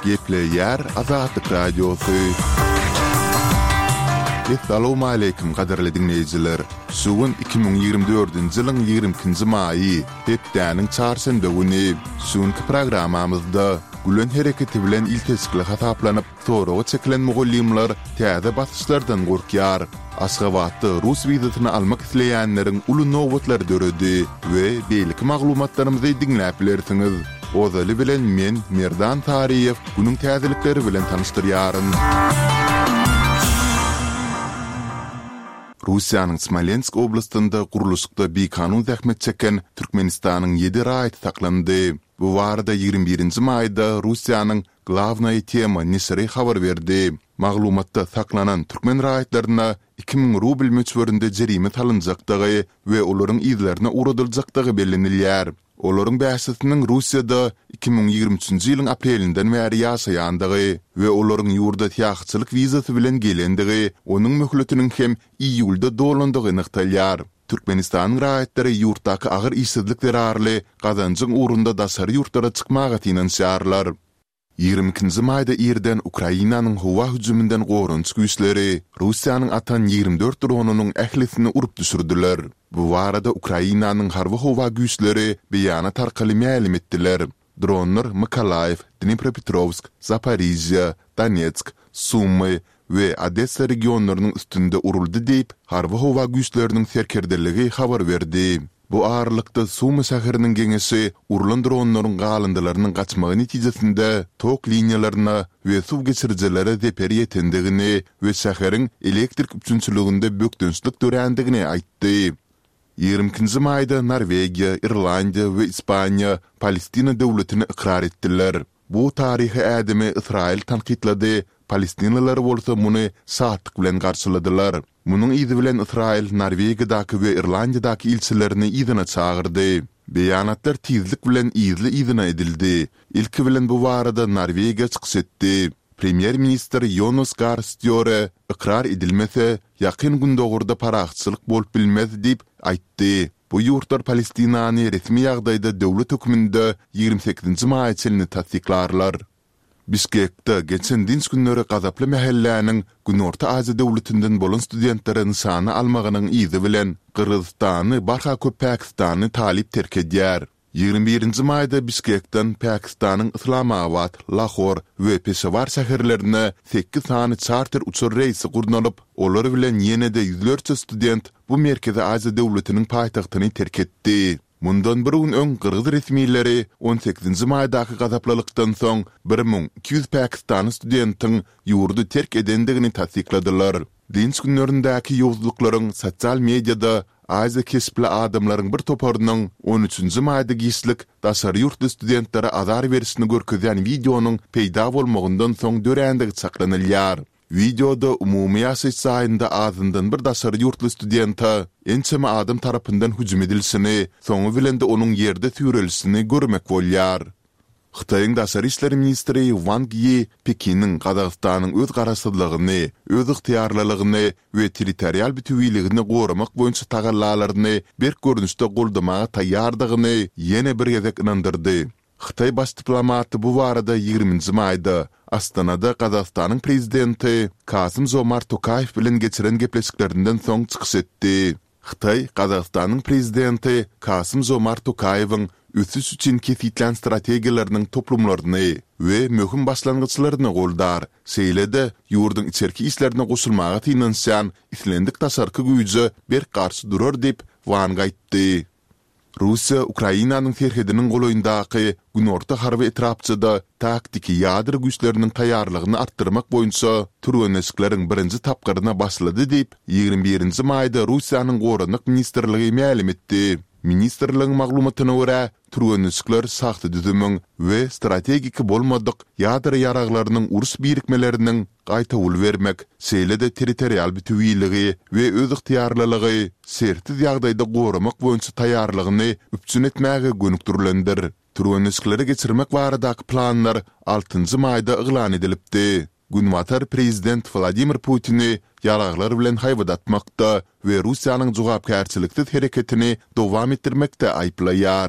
Gepleyer Azadlık Radyosu. Assalamu alaykum qadarly dinleyijiler. Sugun 2024-nji ýylyň 20-nji maýy, hepdäniň çarşamba güni suňky programamyzda gülen hereketi bilen iltesikli hataplanyp soragy çekilen mugallimler täze basışlardan gorkýar. Aşgabatda Rus wizatyny almak isleýänleriň uly nowbatlary döredi we beýlik maglumatlarymyzy dinläp bilersiňiz. Ozaly bilen men Merdan Tariýew günüň täzelikleri bilen tanışdyrýaryn. Russiýanyň Smolensk oblastynda guruluşykda bekanun zähmet çeken Türkmenistanyň 7 raýaty saklandy. Bu barada 21-nji maýda Russiýanyň Glavnaya tema Nisri habar berdi. Maglumatda saklanan Türkmen raýatlaryna 2000 rubl möçberinde jerime salynjakdygy we olaryň izlerine uradyljakdygy bellenilýär. Olaryň bäsitiniň Russiýada 2023-nji ýylyň aprelinden bäri ýaşaýandygy we olaryň ýurda täýakçylyk wizasy bilen gelendigi, onuň möhletiniň hem iýulda dolandygy ynykdalýar. Türkmenistanyň raýatlary ýurtdaky agyr işsizlik derarly gazanjyň urunda dasar ýurtlara çykmaga tinanşýarlar. 22-nji maýda ýerden Ukrainanyň howa hüjümünden gorunç güýçleri Russiýanyň atan 24 dronunyň ählisini urup düşürdiler. Bu barada Ukrainanyň harby howa güýçleri beýana tarkaly ma'lum etdiler. Dronlar Mykolaýew, Dnipropetrovsk, Zaporizhia, Donetsk, Sumy we Odessa regionlarynyň üstünde uruldy diýip harby howa güýçleriniň serkerdeligi habar berdi. Bu ağırlıkta Sumy şäheriniň geňesi urulan dronlaryň galyndylarynyň gaçmagy netijesinde tok liniýalaryna we suw geçirjilere zeper ýetendigini we şäheriň elektrik üçinçiliginde bökdünçlik dörendigini aýtdy. 20-nji maýda Norwegiýa, Irlandiýa we Ispaniýa Palestina döwletini ikrar etdiler. Bu taryhy ädimi Israil tanqidlady. Palestinalılar bolsa muny saatlyk bilen garşyladylar. Munyň izi bilen Israil Norwegiýadaky we Irlandiýadaky ilçilerini izine çağırdy. Beýanatlar tizlik bilen izine edildi. İlki bilen bu barada Norwegiýa çykyş etdi. Premier minister Jonas Gahr Støre ikrar edilmese ýakyn gündogurda paraxçylyk bolup bilmez diýip aýtdy. Bu ýurtlar Palestinany resmi ýagdaýda döwlet höküminde 28-nji maýçylyny tasdiklarlar. Bişkekde geçen dinç günleri gazaply mähelläniň Günorta Aziýa döwletinden bolan studentlaryň sany almagynyň izi bilen Kyrgyzstany, barha köp Pakistany talip terk edýär. 21-nji maýda Bişkekden Pakistanyň Islamabad, Lahore we Peshawar şäherlerine 8 sany charter uçur reýsi gurnalyp, olar bilen ýene-de ýüzlerçe student bu Merkezi Aziýa döwletiniň paýtagtyny terk etdi. Mundan bir gün öň Kyrgyz resmiýetleri 18-nji maýdaky gazaplylykdan soň 1200 Pakistan studentiň ýurdu terk edendigini tasdikladylar. Dinç günlerindäki ýozluklaryň sosial mediada Aziýa kesipli adamlaryň bir toparynyň 13-nji maýda giýişlik daşary ýurt studentlere azar berişini görkezýän videonyň peýda bolmagyndan soň dörendigi saklanylýar. Videoda umumy ýaşaýyş saýynda azyndan bir daşary ýurtly studenta ençeme adam tarapyndan hüjüm edilsini, soňy bilen de onuň ýerde türelişini görmek bolýar. Xitayň daşary işleri ministri Wang Yi Pekiniň Gazagystanyň öz garaşsyzlygyny, öz ygtyýarlylygyny we territorial bütünligini goramak boýunça tagallalaryny bir görnüşde goldamaga taýýardygyny ýene bir gezek inandyrdy. Xitay baş diplomaty bu barada 20-nji maýda Astanada Gazagystanyň prezidenti Kasym-Jomart Tokayew bilen geçiren gepleşiklerinden soň çykyş etdi. Xitay Gazagystanyň prezidenti Kasym-Jomart Tokayewiň ösüş üçin kesitlen strategiýalarynyň toplumlaryny we möhüm başlangyçlaryny goldar. Şeýle-de ýurdun içerki işlerine goşulmaga tinanşan islendik tasarky güýje bir garşy durar diýip Wang aýtdy. Russiya Ukrainanyň serhediniň goloýundaky Günorta harby etrapçyda taktiki ýadyr güýçleriniň taýýarlygyny artdyrmak boýunça türeneşikleriň birinji tapgyryna başlady diýip 21-nji maýda Russiýanyň Gorunlyk ministrligi ma'lum etdi. Ministerligiň maglumatyna görä, türeneşikler saxta düzümüň we strategik bolmadyk ýadyr ýaraglarynyň urus birikmeleriniň gaýta ul bermek, şeýle-de territorial bütünligi we öz ygtyýarlylygy sertiz ýagdaýda goramak boýunça taýýarlygyny üpçün etmäge gönükdirilendir. Türeneşikleri geçirmek baradaky planlar 6-njy maýda eglan edilipdi. Günwatar prezident Vladimir Putin'i yaraglar bilen haýbadatmakda we Russiýanyň jogapkärçiliksiz hereketini dowam etdirmekde aýplaýar.